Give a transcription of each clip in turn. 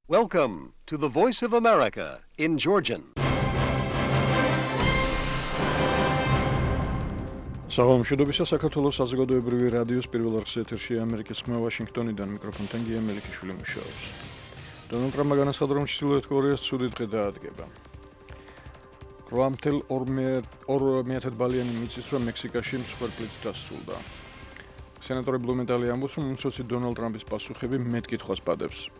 Welcome to the Voice of America in Georgian. Საღამოშობისა საქართველოს საზოგადოებრივი რადიოს პირველ არხის ეთერში ამერიკის ხმა ვაშინგტონიდან მიკროფონთან გია მელიქიშვილი მუშაობს. დონალდ ტრამპმა განაცხადა, რომ ჩრდილოეთ კორეას ცუდი დღე დაადგება. 8.2 ბალიანი მიწისძვრა მექსიკაში მსხვერპლით დასრულდა. სენატორი ბლუმენტალი ამბობს, რომ უმცროსი დონალდ ტრამპის პასუხები მეტკითხვას პადებს.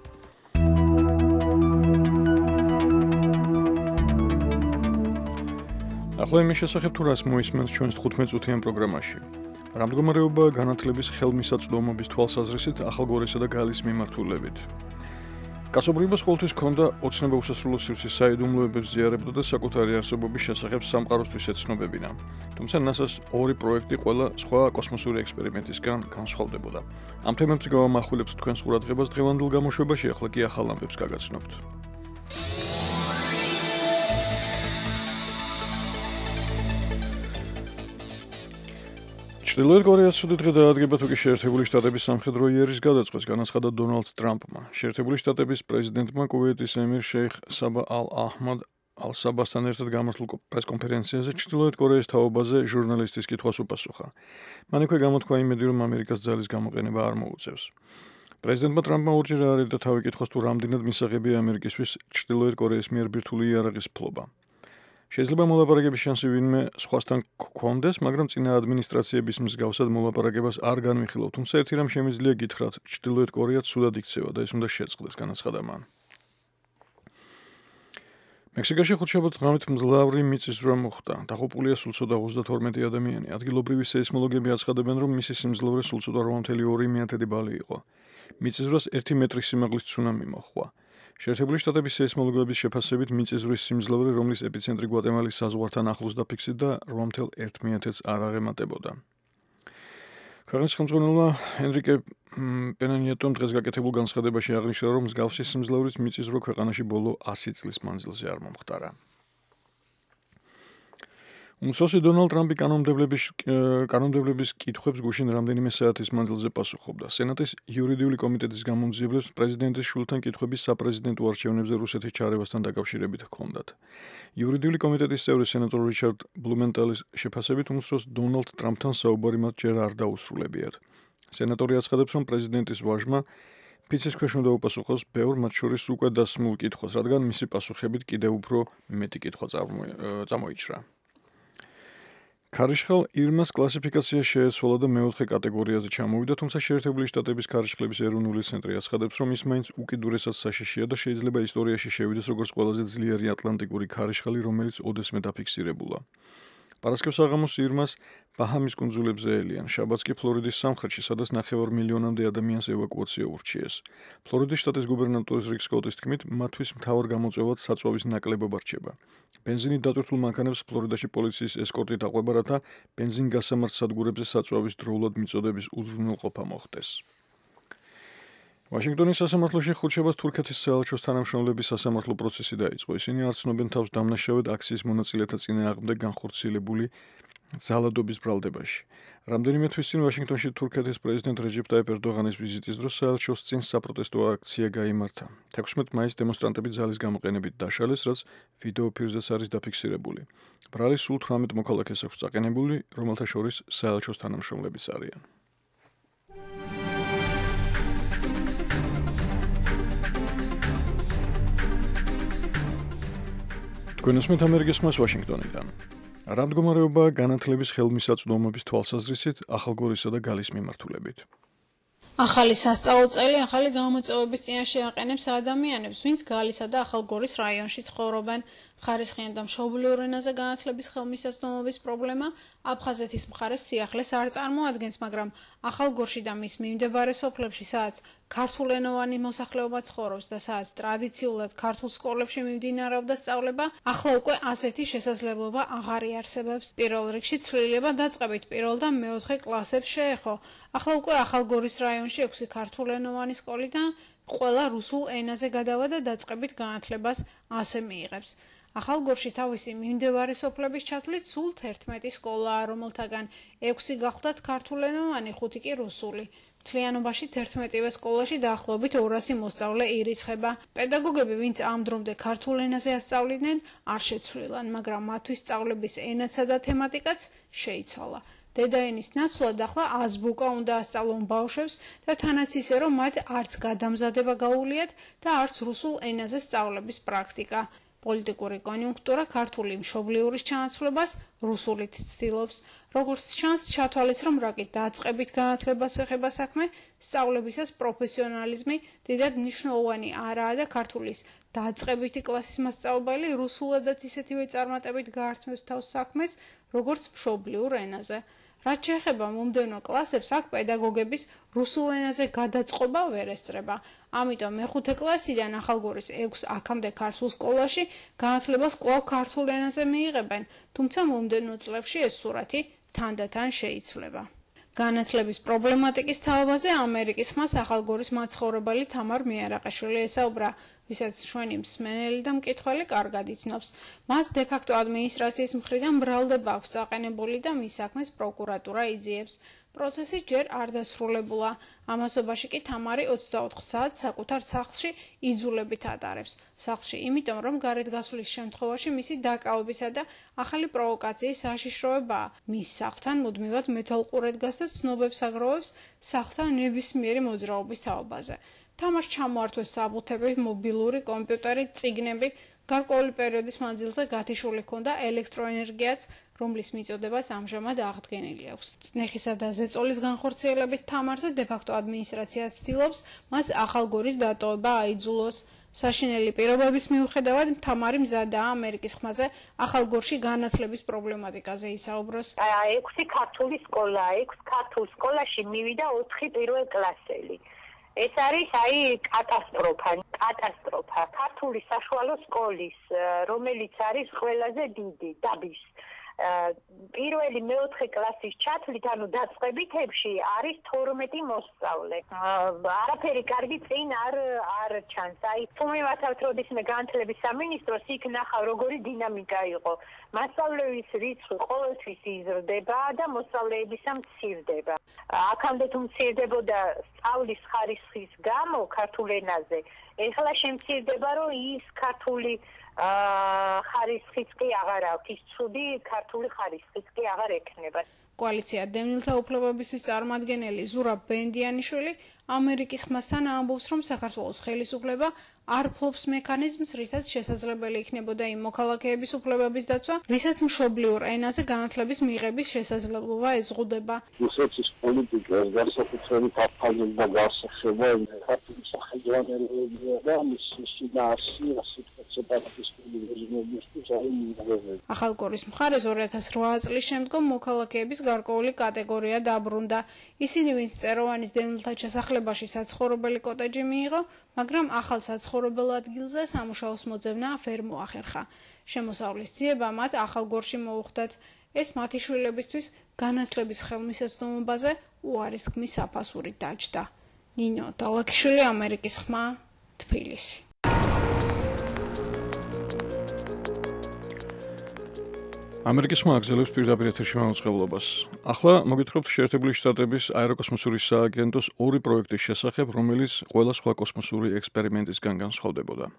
ახლა იმის შესახებ თუ რას მოისმენს ჩვენს 15 წუთიან პროგრამაში. რა მდგომარეობაა განათლების ხელმისაწვდომობის თვალსაზრისით ახალგორისა და გალის მიმართულებით. კაცობრიობას ყოველთვის ჰქონდა ოცნება უსასრულო სივრცის საიდუმლოებებს ზიარებდა და საკუთარი არსებობის შესახებ სამყაროსთვის ეცნობებინა. თუმცა NASA-ს ორი პროექტი ყველა სხვა კოსმოსური ექსპერიმენტისგან განსხვავდებოდა. ამ თემებს გავამახვილებთ თქვენს ყურადღებას დღევანდელ გამოშვებაში, ახლა კი ახალ ამბებს გაგაცნობთ. ჩრდილოეთ კორეას ცუდი დღე დაადგება, თუ კი შეერთებული შტატების სამხედრო იერის გადაწყვეტს განაცხადა დონალდ ტრამპმა. შეერთებული შტატების პრეზიდენტმა კუვეიტის ემირ შეიხ საბა ალ-აჰმად ალ-საბასთან ერთად გამართულ პრესკონფერენციაზე ჩრდილოეთ კორეის თაობაზე ჟურნალისტის კითხვას უპასუხა. მან იქვე გამოთქვა იმედი, რომ ამერიკას ძალის გამოყენება არ მოუწევს. პრეზიდენტმა ტრამპმა ორჯერ აარიდა თავი კითხოს, თუ რამდენად მისაღებია ამერიკისთვის ჩრდილოეთ კორეის მიერ ბირთვული იარაღის ფლობა. შეიძლება მოლაპარაკების შანსი ვინმე სხვასთან გქონდეს, მაგრამ წინა ადმინისტრაციების მსგავსად მოლაპარაკებას არ განვიხილავ, თუმცა ერთი რამ შემიძლია გითხრათ, ჩრდილოეთ კორეა ცუდად იქცევა და ეს უნდა შეწყდეს, განაცხადა მან. მექსიკაში ხუთშაბათ ღამით მძლავრი მიწისძვრა მოხდა. დაღუპულია სულ ცოტა 32 ადამიანი. ადგილობრივი სეისმოლოგები აცხადებენ, რომ მისი სიმძლავრე სულ ცოტა 8.2 ბალი იყო. მიწისძვრას 1 მეტრის სიმაღლის ცუნამი მოჰყვა. შეერთებული შტატების სეისმოლოგების შეფასებით მიწისძვრის სიმძლავრე, რომლის ეპიცენტრი გვატემალის საზღვართან ახლოს დაფიქსირდა, 8.1-ს არ აღემატებოდა. ქვეყნის ხელმძღვანელმა ენრიკე პენა ნიეტომ დღეს გაკეთებულ განცხადებაში აღნიშნა, რომ მსგავსი სიმძლავრის მიწისძვრა ქვეყანაში ბოლო 100 წლის მანძილზე არ მომხდარა. უმცროსი დონალდ ტრამპი კანონმდებლობის კითხვებს გუშინ რამდენიმე საათის მანძილზე პასუხობდა. სენატის იურიდიული კომიტეტის გამომძიებლებს პრეზიდენტის შვილთან კითხვები საპრეზიდენტო არჩევნებზე რუსეთის ჩარევასთან დაკავშირებით ჰქონდათ. იურიდიული კომიტეტის წევრი სენატორ რიჩარდ ბლუმენტალის შეფასებით უმცროს დონალდ ტრამპთან საუბარი მათ ჯერ არ დაუსრულებიათ. სენატორი აცხადებს, რომ პრეზიდენტის ვაჟმა ფიცის ქვეშ უნდა უპასუხოს ბევრ მათ შორის უკვე დასმულ კითხვას, რადგან მისი პასუხებით კიდევ უფრო მეტი კითხვა წამოიჭრა. ქარიშხალ ირმას კლასიფიკაცია შეეცვალა და მეოთხე კატეგორიაზე ჩამოვიდა, თუმცა შეერთებული შტატების ქარიშხლების ეროვნული ცენტრი აცხადებს, რომ ის მაინც უკიდურესად საშიშია და შეიძლება ისტორიაში შევიდეს როგორც ყველაზე ძლიერი ატლანტიკური ქარიშხალი, რომელიც ოდესმე დაფიქსირებულა. პარასკევს საღამოს ირმას ბაჰამის კუნძულებზე ელიან, შაბათს კი ფლორიდის სამხრეთში, სადაც 9 მილიონამდე ადამიანს ევაკუაცია ურჩიეს. ფლორიდის შტატის გუბერნატორის რიკ სკოტის თქმით, მათთვის მთავარ გამოწვევად საწვავის ნაკლებობა რჩება. ბენზინით დატვირთულ მანქანებს ფლორიდაში პოლიციის ესკორტით აყვება, რათა ბენზინგასამართ სადგურებზე საწვავის დროულად მიწოდების უზრუნველყოფა მოხდეს. ვაშინგტონის სასამართლოში ხუთშაბათს თურქეთის საელჩოს თანამშრომლების სასამართლო პროცესი დაიწყო. ისინი არ ცნობენ თავს დამნაშავედ აქციის მონაწილეთა წინააღმდეგ განხორციელებული ძალადობის ბრალდებაში. რამდენიმე თვის წინ ვაშინგტონში თურქეთის პრეზიდენტ რეჯეპ ტაიპ ერდოღანის ვიზიტის დროს საელჩოს წინ საპროტესტო აქცია გაიმართა. 16 მაისს დემონსტრანტები ძალის გამოყენებით დაშალეს, რაც ვიდეო ფირზეც არის დაფიქსირებული. ბრალი სულ 18 მოქალაქეს აქვს წაყენებული, რომელთა შორის საელჩოს თანამშრომლებიც არიან. გვენოსმეთ ამერიკის ხმას ვაშინგტონიდან. რა მდგომარეობაა განათლების ხელმისაწვდომობის თვალსაზრისით ახალგორისა და გალის მიმართულებით? ახალი სასწავლო წელი ახალი გამოწვევების წინაშე აყენებს ადამიანებს, ვინც გალისა და ახალგორის რაიონში ცხოვრობენ. ხარისხიან და მშობლიურ ენაზე განათლების ხელმისაწვდომობის პრობლემა აფხაზეთის მხარეს სიახლეს არ წარმოადგენს, მაგრამ ახალგორში და მის მიმდებარე სოფლებში, სადაც ქართულენოვანი მოსახლეობა ცხოვრობს და სადაც ტრადიციულად ქართულ სკოლებში მიმდინარეობდა სწავლება, ახლა უკვე ასეთი შესაძლებლობა აღარ იარსებებს. პირველ რიგში ცვლილება დაწყებით პირველ და მეოთხე კლასებს შეეხო. ახლა უკვე ახალგორის რაიონში 6 ქართულენოვანი სკოლიდან ყველა რუსულ ენაზე გადავა და დაწყებით განათლებას ასე მიიღებს. ახალგორში თავისი მიმდევარი სოფლების ჩათვლით სულ 11 სკოლაა, რომელთაგან 6 გახლდათ ქართულენოვანი, 5 კი რუსული. მთლიანობაში 11-ვე სკოლაში დაახლოებით 200 მოსწავლე ირიცხება. პედაგოგები, ვინც ამ დრომდე ქართულ ენაზე ასწავლიდნენ, არ შეცვლილან, მაგრამ მათთვის სწავლების ენაცა და თემატიკაც შეიცვალა. დედაენის ნაცვლად ახლა აზბუკა უნდა ასწავლონ ბავშვებს და თანაც ისე, რომ მათ არც გადამზადება გაუვლიათ და არც რუსულ ენაზე სწავლების პრაქტიკა. პოლიტიკური კონიუნქტურა ქართული მშობლიურის ჩანაცვლებას რუსულით ცდილობს. როგორც ჩანს, ჩათვალეს, რომ რაკი დაწყებით განათლებას ეხება საქმე, სწავლებისას პროფესიონალიზმი დიდად მნიშვნელოვანი არაა და ქართულის დაწყებითი კლასის მასწავლებელი რუსულადაც ისეთივე წარმატებით გაართმევს თავს საქმეს, როგორც მშობლიურ ენაზე. რაც შეეხება მომდევნო კლასებს, აქ პედაგოგების რუსულ ენაზე გადაწყობა ვერ ესწრება. ამიტომ მეხუთე კლასიდან ახალგორის 6 აქამდე ქართულ სკოლაში განათლებას კვლავ ქართულ ენაზე მიიღებენ, თუმცა მომდევნო წლებში ეს სურათი თანდათან შეიცვლება. განათლების პრობლემატიკის თაობაზე ამერიკის ხმას ახალგორის მაცხოვრებელი თამარ მიარაყაშვილი ესაუბრა, ვისაც ჩვენი მსმენელი და მკითხველი კარგად იცნობს. მას დე-ფაქტო ადმინისტრაციის მხრიდან ბრალდება აქვს აყენებული და მის საქმეს პროკურატურა იძიებს. პროცესი ჯერ არ დასრულებულა. ამასობაში კი თამარი 24 საათს საკუთარ სახლში იძულებით ატარებს. სახლში, იმიტომ რომ გარეთ გასვლის შემთხვევაში მისი დაკავებისა და ახალი პროვოკაციის საშიშროებაა. მის სახლთან მუდმივად მეთვალყურე დგას და ცნობებს აგროვებს სახლთან ნებისმიერი მოძრაობის თაობაზე. თამარს ჩამოართვეს საბუთები, მობილური კომპიუტერი, წიგნები, გარკვეული პერიოდის მანძილზე გათიშული ჰქონდა ელექტროენერგიაც, რომლის მიწოდებაც ამჟამად აღდგენილი აქვს. წნეხისა და ზეწოლის განხორციელებით თამარზე დე-ფაქტო ადმინისტრაცია ცდილობს მას ახალგორის დატოვება აიძულოს. საშინელი პირობების მიუხედავად თამარი მზადაა ამერიკის ხმაზე ახალგორში განათლების პრობლემატიკაზე ისაუბროს. 6 ქართული სკოლა, 6 ქართულ სკოლაში მივიდა 4 პირველ კლასელი. ეს არის კატასტროფა. ქართული საშუალო სკოლის, რომელიც არის ყველაზე დიდი დაბის. პირველი მეოთხე კლასის ჩათვლით, ანუ დაწყებითებში არის 12 მოსწავლე. არაფერი კარგი წინ არ ჩანს. თუ მივათავთ როდისმე განათლების სამინისტროს, იქ ნახავ როგორი დინამიკა იყო. მასწავლებლების რიცხვი ყოველთვის იზრდება და მოსწავლეებისა მცირდება. აქამდე თუ მცირდებოდა სწავლის ხარისხის გამო ქართულ ენაზე, ეხლა შემცირდება, რომ ის ქართული ხარისხიც კი აღარ აქვს, ის ცუდი ქართული ხარისხიც კი აღარ ექნება. კოალიცია დევნილთა უფლებებისთვის წარმომადგენელი ზურაბ ბენდიანიშვილი ამერიკის ხმასთან ამბობს, რომ საქართველოს ხელისუფლება არ ფლობს მექანიზმს, რითაც შესაძლებელი იქნებოდა იმ მოქალაქეების უფლებების დაცვა, ვისაც მშობლიურ ენაზე განათლების მიღების შესაძლებლობა ezღუდება. რუსეთის პოლიტიკას განსაკუთრებით აფხაზებდა გასახება ქართული სახელმწიფოებია და მისი შინაარსი სეპარატისტული რეჟიმებისთვის არის მიიღებული. ახალგორის მხარეს 2008 წლის შემდგომ მოქალაქეების გარკვეული კატეგორია დაბრუნდა. ისინი, ვინც წეროვანის დევნილთა ჩასახლებაში საცხოვრებელი კოტეჯი მიიღო, მაგრამ ახალ საცხოვრებელ ადგილზე სამუშაოს მოძებნა ვერ მოახერხა. შემოსავლის ძიება მათ ახალგორში მოუხდათ. ეს მათი შვილებისთვის განათლების ხელმისაწვდომობაზე უარისქმის საფასურით დაჯდა. ნინო დალაქიშვილი, ამერიკის ხმა, თბილისი. ამერიკის ხმა აგზელებს პირდაპირ ეთერში მაუწყებლობას. ახლა მოგითხრობთ შეერთებული შტატების აეროკოსმოსური სააგენტოს 2 პროექტის შესახებ, რომელიც ყველა სხვა კოსმოსური ექსპერიმენტისგან განსხვავდებოდა.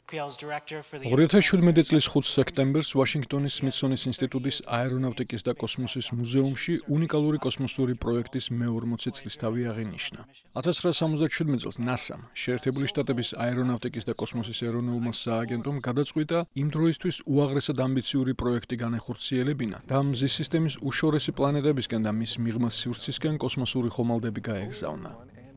2017 წლის 5 სექტემბერს ვაშინგტონის სმითსონის ინსტიტუტის აერონავტიკის და კოსმოსის მუზეუმში უნიკალური კოსმოსური პროექტის მე-40 წლისთავი აღინიშნა. 1977 წელს NASA-მ, შეერთებული შტატების აერონავტიკის და კოსმოსის ეროვნულმა სააგენტომ გადაწყვიტა იმ დროისთვის უაღრესად ამბიციური პროექტი განეხორციელებინა და მზის სისტემის უშორესი პლანეტებისკენ და მის მიღმა სივრცისკენ კოსმოსური ხომალდები გაეგზავნა.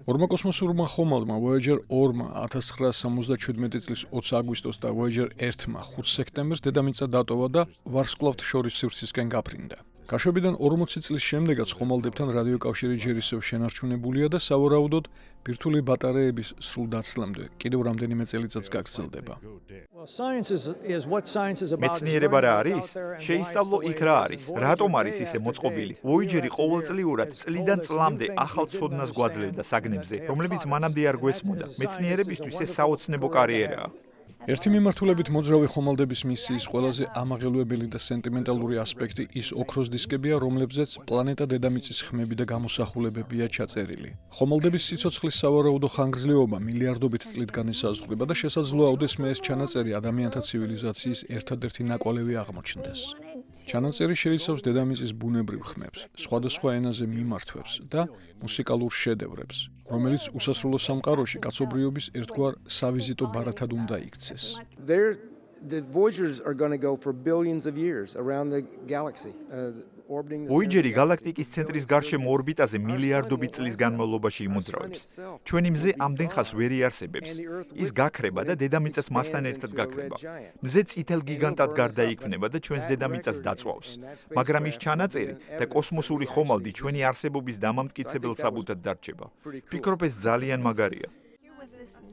ორმა კოსმოსურმა ხომალდმა Voyager 2-მა 1977 წლის 20 აგვისტოს და Voyager 1-მა 5 სექტემბერს დედამიწა დატოვა და ვარსკვლავთ შორის სივრცისკენ გაფრინდა. გაშვებიდან 40 წლის შემდეგაც ხომალდებთან რადიოკავშირი ჯერ ისევ შენარჩუნებულია და სავარაუდოდ ბირთვული ბატარეების სრულ დაცლამდე კიდევ რამდენიმე წელიწადს გაგრძელდება. მეცნიერება რა არის? შეისწავლო იქ რა არის? რატომ არის ისე მოწყობილი? Voyager-ი ყოველწლიურად წლიდან წლამდე ახალ ცოდნას გვაძლევდა საგნებზე, რომლებიც მანამდე არ გვესმოდა. მეცნიერებისთვის ეს საოცნებო კარიერაა. ერთი მიმართულებით მოძრავი ხომალდების მისიის ყველაზე ამაღელვებელი და სენტიმენტალური ასპექტი ის ოქროს დისკებია, რომლებზეც პლანეტა დედამიწის ხმები და გამოსახულებებია ჩაწერილი. ხომალდების სიცოცხლის სავარაუდო ხანგრძლივობა მილიარდობით წლით განისაზღვრება და შესაძლოა ოდესმე ეს ჩანაწერი ადამიანთა ცივილიზაციის ერთადერთი ნაკვალევი აღმოჩნდეს. ჩანაწერი შეიცავს დედამიწის ბუნებრივ ხმებს, სხვადასხვა ენაზე მიმართვებს და მუსიკალურ შედევრებს, რომელიც უსასრულო სამყაროში კაცობრიობის ერთგვარ სავიზიტო ბარათად უნდა იქცეს. The Voyagers are going to go for billions of years around the galaxy, orbiting the Voyager-ი galaktikis ცენტრის გარშემო ორბიტაზე მილიარდობით წლის განმავლობაში იმოძრავებს. ჩვენი მზე ამდენ ხანს ვერ იარსებებს. ის გაქრება და დედამიწას მასთან ერთად გაქრება. მზე წითელ გიგანტად გარდაიქმნება და ჩვენს დედამიწას დაწვავს. მაგრამ ის ჩანაწერი და კოსმოსური ხომალდი ჩვენი არსებობის დამამტკიცებელ საბუთად დარჩება. ფიქრობ, ეს ძალიან მაგარია.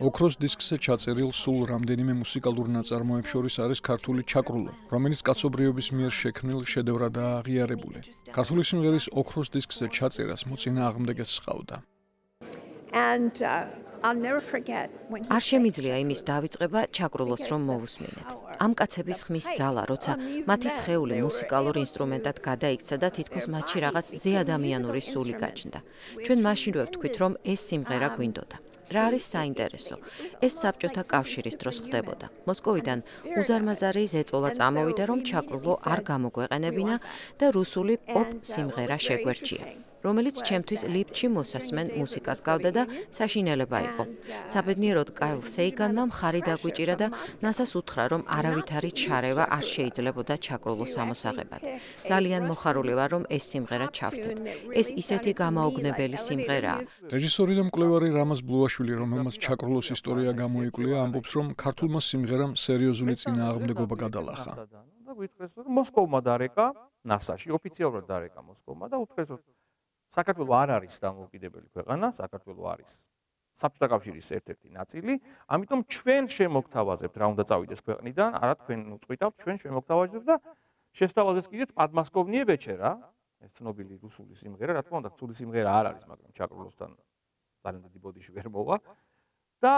ოქროს დისკზე ჩაწერილ სულ რამდენიმე მუსიკალურ ნაწარმოებს შორის არის ქართული ჩაკრულო, რომელიც კაცობრიობის მიერ შექმნილ შედევრადაა აღიარებული. ქართული სიმღერის ოქროს დისკზე ჩაწერას მოწინააღმდეგეც სყავდა. არ შემიძლია იმის დავიწყება ჩაკრულოს რომ მოვუსმინეთ. ამ კაცების ხმის ძალა, როცა მათი სხეული მუსიკალურ ინსტრუმენტად გადაიქცა და თითქოს მათში რაღაც ზეადამიანური სული გაჩნდა. ჩვენ მაშინვე ვთქვით, რომ ეს სიმღერა გვინდოდა. რა არის საინტერესო? ეს საბჭოთა კავშირის დროს ხდებოდა. მოსკოვიდან უზარმაზარი ზეწოლა წამოვიდა, რომ ჩაკრულო არ გამოგვეყენებინა და რუსული პოპ სიმღერა შეგვერჩია, რომელიც ჩემთვის ლიფტში მოსასმენ მუსიკას გავდა და საშინელება იყო. საბედნიეროდ კარლ სეიგანმა მხარი დაგვიჭირა და ნასას უთხრა, რომ არავითარი ჩარევა არ შეიძლებოდა ჩაკრულოს ამოსაღებად. ძალიან მოხარული ვარ, რომ ეს სიმღერა ჩავთვეთ. ეს ისეთი გამაოგნებელი სიმღერაა. რეჟისორი და მკვლევარი რამაზ ბლუაშვილი, რომელმაც ჩაკრულოს ისტორია გამოიკვლია, ამბობს, რომ ქართულმა სიმღერამ სერიოზული წინააღმდეგობა გადალახა. და გითხრეს, რომ მოსკოვმა დარეკა, ნასაში ოფიციალურად დარეკა მოსკოვმა და უთხრეს, რომ საქართველო არ არის დამოუკიდებელი ქვეყანა, საქართველო არის საბჭოთა კავშირის ერთ-ერთი ნაწილი, ამიტომ ჩვენ შემოგთავაზებთ რა უნდა წავიდეს ქვეყნიდან, არა თქვენ უწყვიტავთ, ჩვენ შემოგთავაზებთ და შესთავაზეს კიდეც პადმასკოვნიე ვეჩერა, ეს ცნობილი რუსული სიმღერა, რა თქმა უნდა, ცუდი სიმღერა არ არის, მაგრამ ჩაკრულოსთან ძალიან დიდი ბოდიში ვერ მოვა და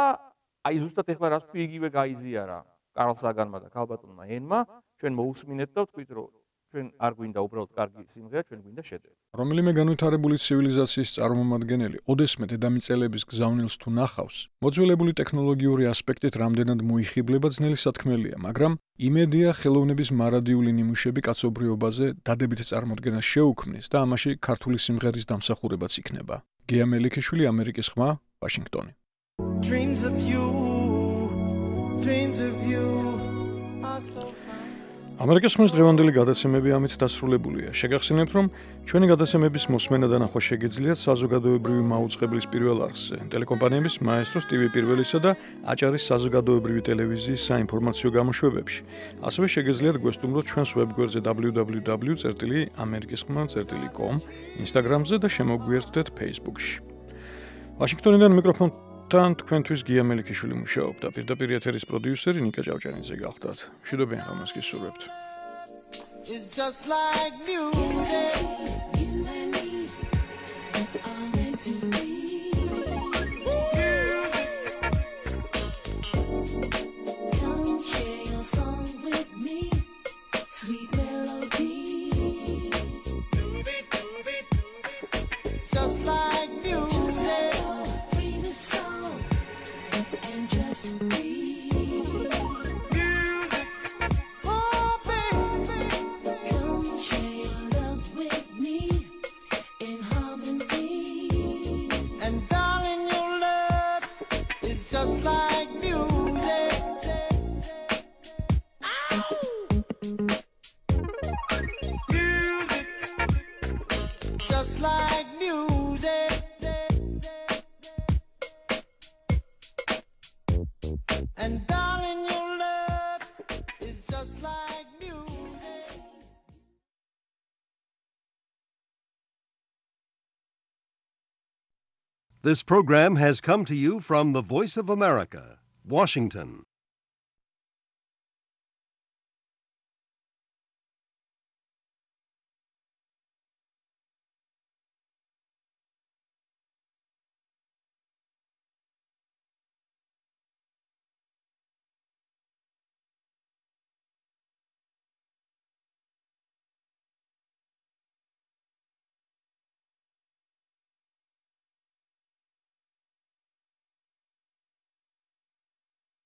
აი ზუსტად ეხლა რას თქვი იგივე გაიზიარა კარლ საგანმა და ქალბატონმა ენმა, ჩვენ მოусმინეთ და ვთქვით, რომ ჩვენ არ გვინდა უბრალოდ კარგი სიმღერა, ჩვენ გვინდა შედევრი. რომელიმე განვითარებული ცივილიზაციის წარმომადგენელი ოდესმე დედამიწელების გზავნილს თუ ნახავს, მოძველებული ტექნოლოგიური ასპექტით რამდენად მოიხიბლება ძნელი სათქმელია, მაგრამ იმედია ხელოვნების მარადიული ნიმუშები კაცობრიობაზე დადებით წარმოდგენას შეუქმნის და ამაში ქართული სიმღერის დამსახურებაც იქნება. გია მელიქიშვილი, ამერიკის ხმა, ვაშინგტონი. Dreams of you are so ამერიკის ხმის დღევანდელი გადაცემები ამით დასრულებულია. შეგახსენებთ, რომ ჩვენი გადაცემების მოსმენა და ნახვა შეგიძლიათ საზოგადოებრივი მაუწყებლის პირველ არხზე, ტელეკომპანიების მაესტროს TV პირველისა და აჭარის საზოგადოებრივი ტელევიზიის საინფორმაციო გამოშვებებში. ასევე შეგიძლიათ გვესტუმროთ ჩვენს ვებგვერდზე www.amerikiskhma.com, Instagram-ზე და შემოგვიერთდეთ Facebook-ში. ვაშინგტონიდან მიკროფონთან თქვენთვის გია მელიქიშვილი მუშაობდა. პირდაპირ ეთერის პროდიუსერი ნიკა ჭავჭანიძე გახლდათ. მშვიდობიან ღამეს გისურვებთ. It's just like music. You and me are meant to be. Come share your song with me, sweet melody. Just like music. Free the soul and just be. This program has come to you from the Voice of America, Washington.